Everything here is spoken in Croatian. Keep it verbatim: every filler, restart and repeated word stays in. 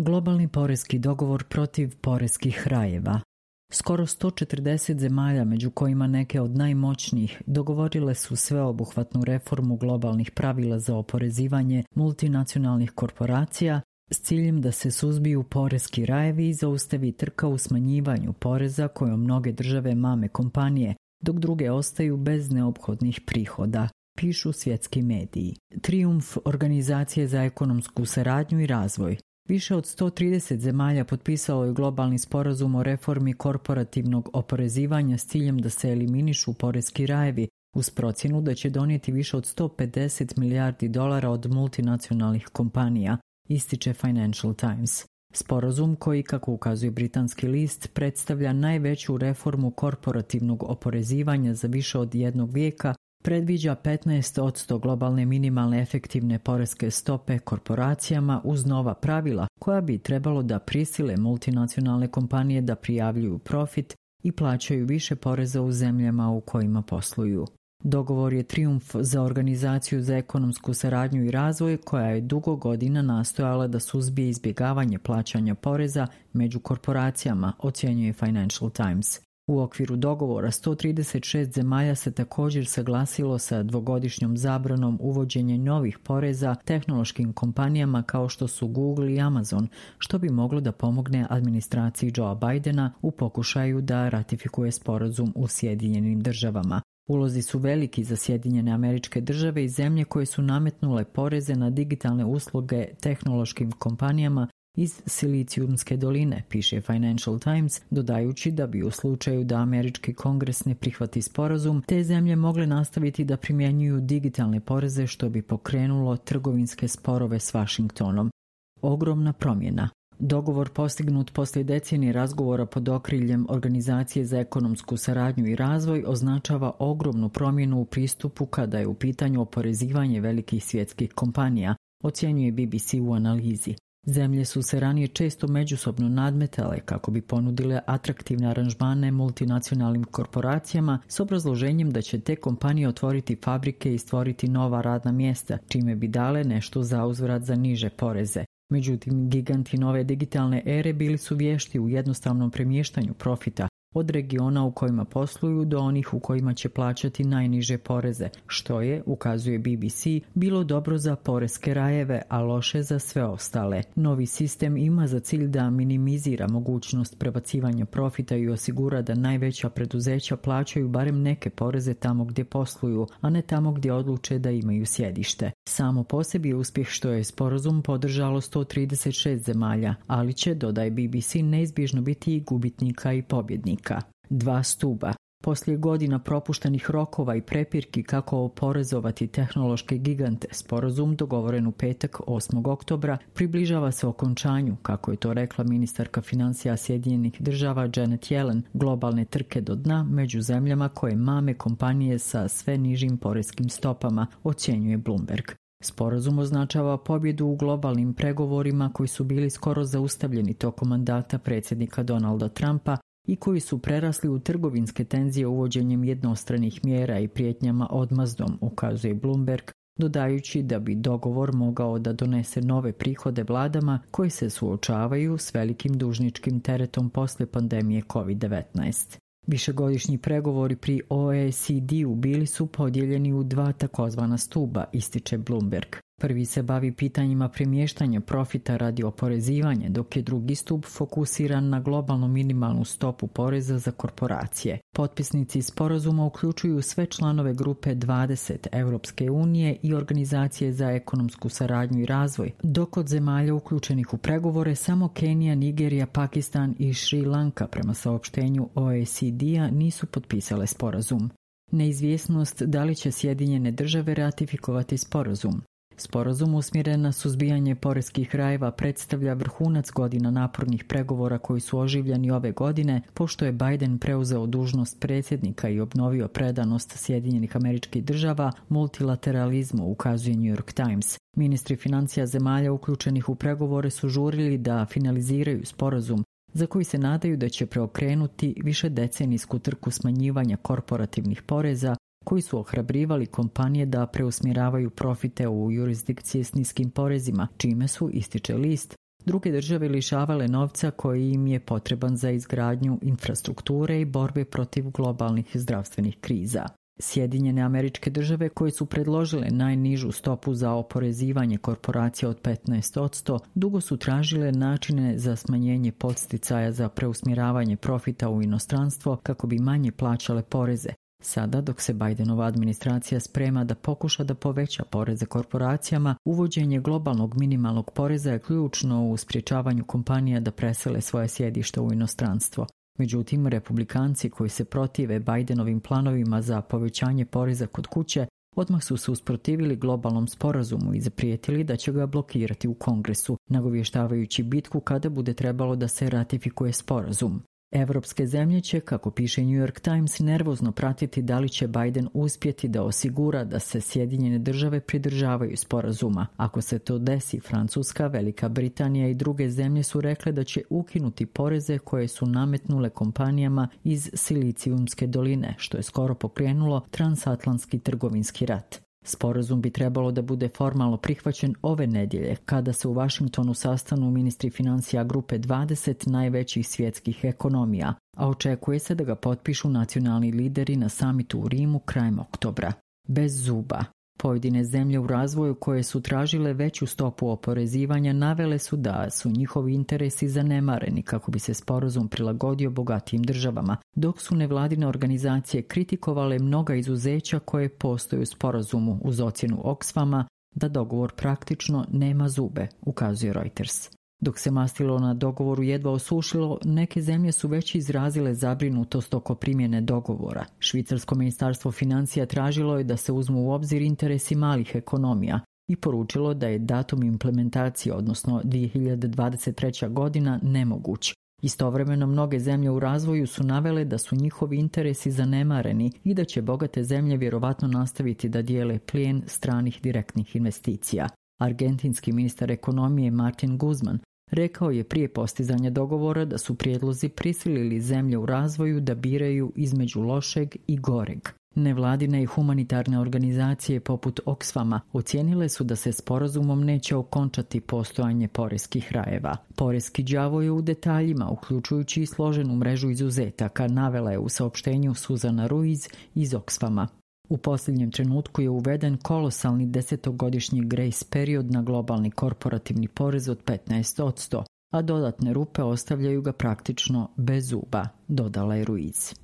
Globalni porezki dogovor protiv poreskih rajeva. Skoro sto četrdeset zemalja, među kojima neke od najmoćnijih, dogovorile su sveobuhvatnu reformu globalnih pravila za oporezivanje multinacionalnih korporacija s ciljem da se suzbiju poreski rajevi i zaustavi trka u smanjivanju poreza kojom mnoge države mame kompanije, dok druge ostaju bez neophodnih prihoda, pišu svjetski mediji. Trijumf Organizacije za ekonomsku saradnju i razvoj. Više od sto trideset zemalja potpisalo je globalni sporazum o reformi korporativnog oporezivanja s ciljem da se eliminišu poreski rajevi, uz procjenu da će donijeti više od sto pedeset milijardi dolara od multinacionalnih kompanija, ističe Financial Times. Sporazum koji, kako ukazuje britanski list, predstavlja najveću reformu korporativnog oporezivanja za više od jednog vijeka, predviđa petnaest posto globalne minimalne efektivne poreske stope korporacijama uz nova pravila koja bi trebalo da prisile multinacionalne kompanije da prijavljuju profit i plaćaju više poreza u zemljama u kojima posluju. Dogovor je trijumf za Organizaciju za ekonomsku saradnju i razvoj koja je dugo godina nastojala da suzbije izbjegavanje plaćanja poreza među korporacijama, ocjenjuje Financial Times. U okviru dogovora sto trideset šest zemalja se također saglasilo sa dvogodišnjom zabranom uvođenja novih poreza tehnološkim kompanijama kao što su Google i Amazon, što bi moglo da pomogne administraciji Joea Bidena u pokušaju da ratifikuje sporazum u Sjedinjenim državama. Ulozi su veliki za Sjedinjene Američke Države i zemlje koje su nametnule poreze na digitalne usluge tehnološkim kompanijama iz Silicijumske doline, piše Financial Times, dodajući da bi u slučaju da američki kongres ne prihvati sporazum, te zemlje mogle nastaviti da primjenjuju digitalne poreze što bi pokrenulo trgovinske sporove s Vašingtonom. Ogromna promjena. Dogovor postignut poslije decenije razgovora pod okriljem Organizacije za ekonomsku saradnju i razvoj označava ogromnu promjenu u pristupu kada je u pitanju oporezivanje velikih svjetskih kompanija, ocjenjuje B B C u analizi. Zemlje su se ranije često međusobno nadmetale kako bi ponudile atraktivne aranžmane multinacionalnim korporacijama s obrazloženjem da će te kompanije otvoriti fabrike i stvoriti nova radna mjesta, čime bi dale nešto za uzvrat za niže poreze. Međutim, giganti nove digitalne ere bili su vješti u jednostavnom premještanju profita od regiona u kojima posluju do onih u kojima će plaćati najniže poreze, što je, ukazuje B B C, bilo dobro za poreske rajeve, a loše za sve ostale. Novi sistem ima za cilj da minimizira mogućnost prebacivanja profita i osigura da najveća preduzeća plaćaju barem neke poreze tamo gdje posluju, a ne tamo gdje odluče da imaju sjedište. Samo po sebi je uspjeh što je sporazum podržalo sto trideset šest zemalja, ali će, dodaje B B C, neizbježno biti i gubitnika i pobjednika. Dva stuba. Poslije godina propuštenih rokova i prepirki kako oporezovati tehnološke gigante, sporazum dogovoren u petak osmog oktobra približava se okončanju, kako je to rekla ministarka financija Sjedinjenih država Janet Yellen, globalne trke do dna među zemljama koje mame kompanije sa sve nižim poreskim stopama, ocjenjuje Bloomberg. Sporazum označava pobjedu u globalnim pregovorima koji su bili skoro zaustavljeni tokom mandata predsjednika Donalda Trumpa i koji su prerasli u trgovinske tenzije uvođenjem jednostranih mjera i prijetnjama odmazdom, ukazuje Bloomberg, dodajući da bi dogovor mogao da donese nove prihode vladama koji se suočavaju s velikim dužničkim teretom poslije pandemije kovid devetnaest. Višegodišnji pregovori pri O E C D-u bili su podijeljeni u dva takozvana stuba, ističe Bloomberg. Prvi se bavi pitanjima premještanja profita radi oporezivanja, dok je drugi stup fokusiran na globalnu minimalnu stopu poreza za korporacije. Potpisnici sporazuma uključuju sve članove grupe dvadeset Europske unije i Organizacije za ekonomsku saradnju i razvoj, dok od zemalja uključenih u pregovore samo Kenija, Nigerija, Pakistan i Šri Lanka prema saopštenju O E C D-a nisu potpisale sporazum. Neizvjesnost da li će Sjedinjene države ratifikovati sporazum. Sporazum usmjeren na suzbijanje poreskih rajeva predstavlja vrhunac godina napornih pregovora koji su oživljeni ove godine, pošto je Biden preuzeo dužnost predsjednika i obnovio predanost Sjedinjenih Američkih Država multilateralizmu, ukazuje New York Times. Ministri financija zemalja uključenih u pregovore su žurili da finaliziraju sporazum, za koji se nadaju da će preokrenuti višedecenijsku trku smanjivanja korporativnih poreza koji su ohrabrivali kompanije da preusmjeravaju profite u jurisdikcije s niskim porezima, čime su, ističe list, druge države lišavale novca koji im je potreban za izgradnju infrastrukture i borbe protiv globalnih zdravstvenih kriza. Sjedinjene Američke Države, koje su predložile najnižu stopu za oporezivanje korporacija od petnaest posto, dugo su tražile načine za smanjenje podsticaja za preusmjeravanje profita u inostranstvo kako bi manje plaćale poreze. Sada, dok se Bidenova administracija sprema da pokuša da poveća poreze korporacijama, uvođenje globalnog minimalnog poreza je ključno u sprječavanju kompanija da presele svoje sjedište u inostranstvo. Međutim, republikanci koji se protive Bidenovim planovima za povećanje poreza kod kuće odmah su se usprotivili globalnom sporazumu i zaprijetili da će ga blokirati u Kongresu, nagovještavajući bitku kada bude trebalo da se ratifikuje sporazum. Evropske zemlje će, kako piše New York Times, nervozno pratiti da li će Biden uspjeti da osigura da se Sjedinjene Države pridržavaju sporazuma. Ako se to desi, Francuska, Velika Britanija i druge zemlje su rekle da će ukinuti poreze koje su nametnule kompanijama iz Silicijumske doline, što je skoro pokrenulo transatlantski trgovinski rat. Sporazum bi trebalo da bude formalno prihvaćen ove nedjelje, kada se u Washingtonu sastanu ministri financija grupe dvadeset najvećih svjetskih ekonomija, a očekuje se da ga potpišu nacionalni lideri na samitu u Rimu krajem oktobra. Bez zuba. Pojedine zemlje u razvoju koje su tražile veću stopu oporezivanja navele su da su njihovi interesi zanemareni kako bi se sporazum prilagodio bogatijim državama, dok su nevladine organizacije kritikovale mnoga izuzeća koje postoje u sporazumu uz ocjenu Oxfama da dogovor praktično nema zube, ukazuje Reuters. Dok se mastilo na dogovoru jedva osušilo, neke zemlje su već izrazile zabrinutost oko primjene dogovora. Švicarsko ministarstvo financija tražilo je da se uzmu u obzir interesi malih ekonomija i poručilo da je datum implementacije, odnosno dvije hiljade dvadeset treća godina, nemoguć. Istovremeno mnoge zemlje u razvoju su navele da su njihovi interesi zanemareni i da će bogate zemlje vjerovatno nastaviti da dijele plijen stranih direktnih investicija. Argentinski ministar ekonomije Martin Guzman rekao je prije postizanja dogovora da su prijedlozi prisilili zemlje u razvoju da biraju između lošeg i goreg. Nevladine i humanitarne organizacije poput Oxfama ocijenile su da se sporazumom neće okončati postojanje poreskih rajeva. Poreski đavo je u detaljima, uključujući i složenu mrežu izuzetaka, navela je u saopštenju Suzana Ruiz iz Oxfama. U posljednjem trenutku je uveden kolosalni desetogodišnji grace period na globalni korporativni porez od petnaest posto, a dodatne rupe ostavljaju ga praktično bez zuba, dodala je Ruiz.